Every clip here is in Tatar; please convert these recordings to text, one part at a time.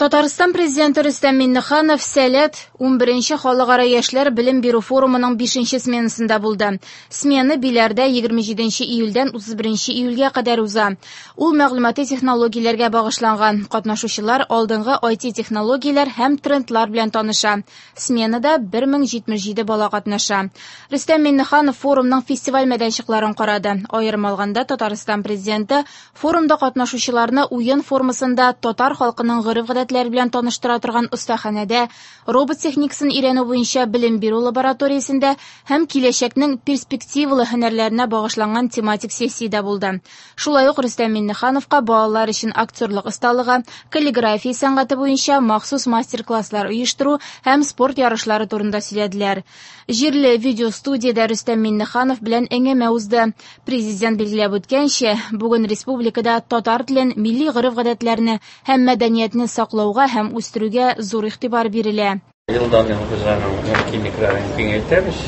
Татарстан Президенты Рөстәм Миңнеханов «Сәләт» 11нче халыкара яшьләр белем бирү форумының 5нче сменасында булды. Смена Биләрдә 27 июльдән 31 июльгә кадәр уза. Ул мәгълүмати технологияләргә багышланган. Катнашучылар алдынгы IT-технологияләр һәм трендлар белән таныша. Сменада 1077 бала катнаша. Рөстәм Миңнеханов форумның фестиваль мәйданчыкларын карады. Аерым алганда, Татарстан Президенты форумда катнашучыларны уен формасында татар халкының гореф-гадәтләре белән таныштыра торган остаханәдә, робот техникасын өйрәнү буенча белем бирү лабораториясендә һәм киләчәкнең перспективалы һөнәрләренә багышланган тематик сессиядә булды. Шулай ук Рөстәм Миңнехановка балалар өчен актерлык осталыгы, каллиграфия сәнгате буенча махсус мастер-класслар оештыру һәм спорт ярышлары турында сөйләделәр. Җирле видеостудиядә Рөстәм Миңнеханов белән әңгәмә узды. Президент билгеләп үткәнчә, бүген республикада татар телен, милли гореф-гадәтләрне һәм мәдәниятне саклауга һәм үстерүгә зур игътибар бирелә. Елдан-ел без аның мөмкинлекләрен киңәйтәбез,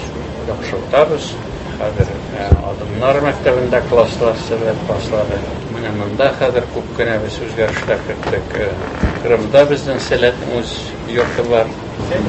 яхшыртабыз. Хәзер Адымнар мәктәбендә класслар сәләт башлады. Менә монда хәзер күп кенә без үзгәрешләр керттек. Кырымда безнең сәләтнең үз йорты бар.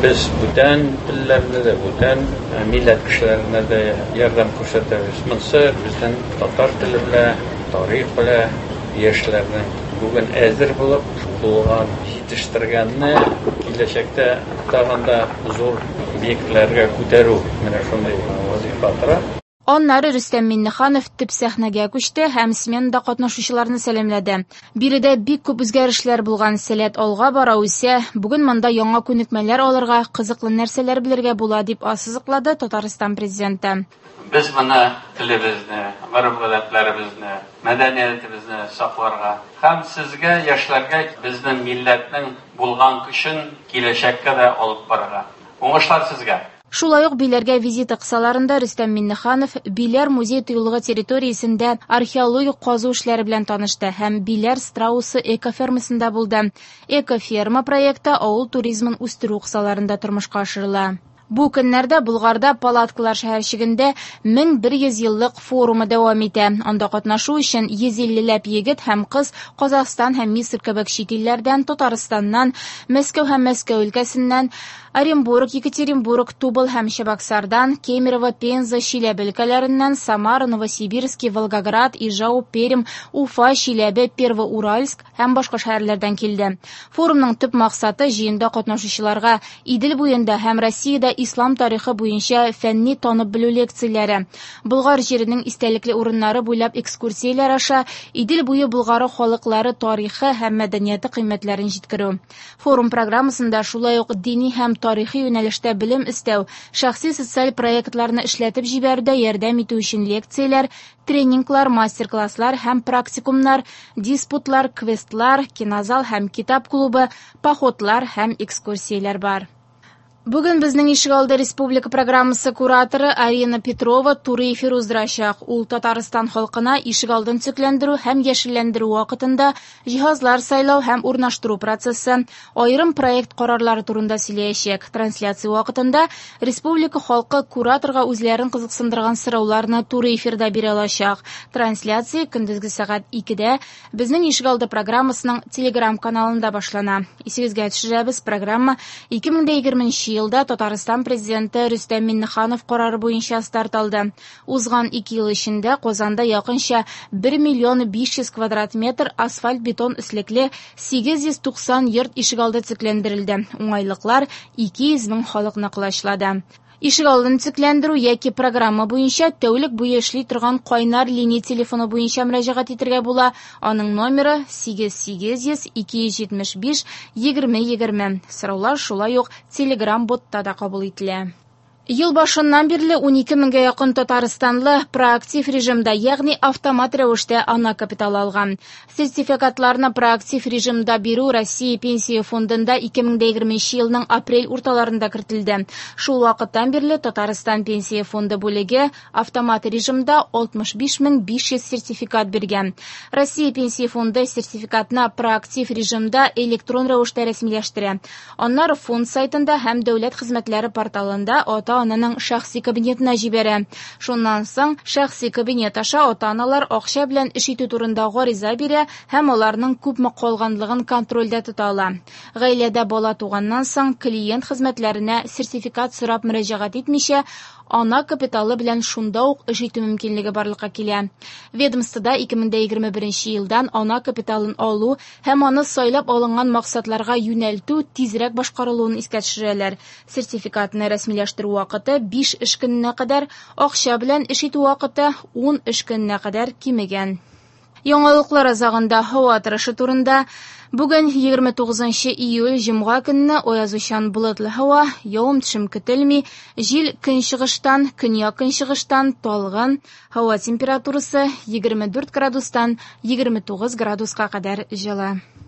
Без бүтән телләрне дә, бүтән милләт кешеләренә дә ярдәм күрсәтәбез. Монысы безнең татар теле белән, тарих белән яшьләрнең бүген әзер булып булган җитештергәнне киләчәктә тагын да зур биекләргә күтәрү менә шундый вазифа тора. Аннары Рөстәм Миңнеханов төп сәхнәгә күчте һәм сменада катнашучыларны сәламләде. Биредә бик күп үзгәрешләр булган, Сәләт алга бара, үсә. Бүген монда яңа күнекмәләр алырга, кызыклы нәрсәләр белергә була, дип ассызыклады Татарстан Президенты. Без моны телебезне, гореф-гадәтләребезне, мәдәниятебезне сакларга һәм сезгә, яшьләргә, безнең милләтнең булган көчен киләчәккә дә алып барырга. Уңышлар сезгә! Шулай ук Биләргә визиты кысаларында Рөстәм Миңнеханов Биләр музей-тыюлыгы территориясендә археологик казу эшләре белән танышты һәм Биләр страусы экофермасында булды. Экоферма проекты авыл туризмын үстерү кысаларында тормышка ашырыла. Бу көннәрдә Болгарда палаткалар шәһәрчегендә 1100 еллык форумы дәвам итә. Анда катнашу өчен 150 ләп егет һәм кыз Казахстан һәм Мисыр кебек чит илләрдән, Татарстаннан, Мәскәү һәм Мәскәү өлкәсеннән, Оренбург, Екатеринбург, Тубыл һәм Чебоксардан, Кемерово, Пенза, Чиләбе өлкәләреннән, Самара, Новосибирск, Волгоград, Ижау, Пермь, Уфа, Чиләбе, Первоуральск һәм башка шәһәрләрдән килде. Форумның төп максаты җыенда катнашучыларга Идел буенда һәм Россиядә ислам тарихы буенча фәнни танып белү лекцияләре, Болгар җиренең истәлекле урыннары буйлап экскурсияләр аша Идел буе Болгары халыклары тарихы һәм мәдәнияте кыйммәтләрен җиткерү. Форум программасында шулай ук дини һәм тарихи юнәлештә белем өстәү, шәхси социаль проектларны эшләтеп җибәрүдә ярдәм итү өчен лекцияләр, тренинглар, мастер-класслар һәм практикумнар, диспутлар, квестлар, кинозал һәм китап клубы, походлар һәм экскурсияләр бар. Бүген безнең ишегалды республика программасы кураторы Арина Петрова туры эфир уздырачак. Ул Татарстан халкына ишегалдын төзекләндерү һәм яшелләндерү вакытында җиһазлар сайлау һәм урнаштыру процессы, аерым проект карарлары турында сөйләячәк. Трансляция вакытында республика халкы кураторга үзләрен кызыксындырган сорауларны туры эфирда бирә алачак. Трансляция көндезге сәгать 2-дә безнең ишегалды программасының Telegram-каналында башлана. Исегезгә төшерәбез, программа 2020 елда Татарстан Президенты Рөстәм Миңнеханов карары буенча старт алды. Узган 2 ел эчендә Казанда якынча 1 миллион 500 квадрат метр асфальт-бетон өслекле 890 йорт ишегалды төзекләндерелде. Уңайлыклар 200 мең халыкны колачлады. Ишегалдын төзекләндерү яки программа буенча тәүлек буе эшли торган кайнар линия телефоны буенча мөрәҗәгать итәргә була. Аның номеры 8 800 275 20 20. Сораулар шулай ук Telegram-ботта да кабул ителә. Ел башыннан бирле 12 меңгә якын татарстанлы проактив режимда, ягъни автомат рәвештә ана капиталы алган. Сертификатларны проактив режимда бирү Россия Пенсия фондында 2020 елның апрель урталарында кертелде. Шул вакыттан бирле Татарстан Пенсия фонды бүлеге автомат режимда 65500 сертификат биргән. Россия Пенсия фонды сертификатны проактив режимда электрон рәвештә рәсмиләштерә. Аннары фонд сайтында һәм дәүләт хезмәтләре порталында ата ата-ананың шәхси кабинетына җибәрә. Шуннан соң шәхси кабинет аша ата-аналар акча белән эш итү турында гариза бирә һәм аларның күпме калганлыгын контрольдә тота ала. Гаиләдә бала туганнан соң клиент хезмәтләренә сертификат сорап мөрәҗәгать итмичә, ана капиталы белән шунда ук эш итү мөмкинлеге барлыкка килә. Ведомствода 2021 елдан ана капиталын алу һәм аны сайлап алынган максатларга юнәлтү тизрәк башкарылуын искә төшерәләр. Сертификатны рәсмиләштерү вакыты 5 эш көненә кадәр, акча белән эш итү вакыты 10 эш көненә кадәр кимегән. Яңалыклар азагында һава торышы турында. Бүген 29 июль җомга көнне аязучан болытлы һава, явым-төшем көтелми, җил көнчыгыштан, көньяк-көнчыгыштан талгын, һава температурасы 24 градустан 29 градуска кадәр җылы.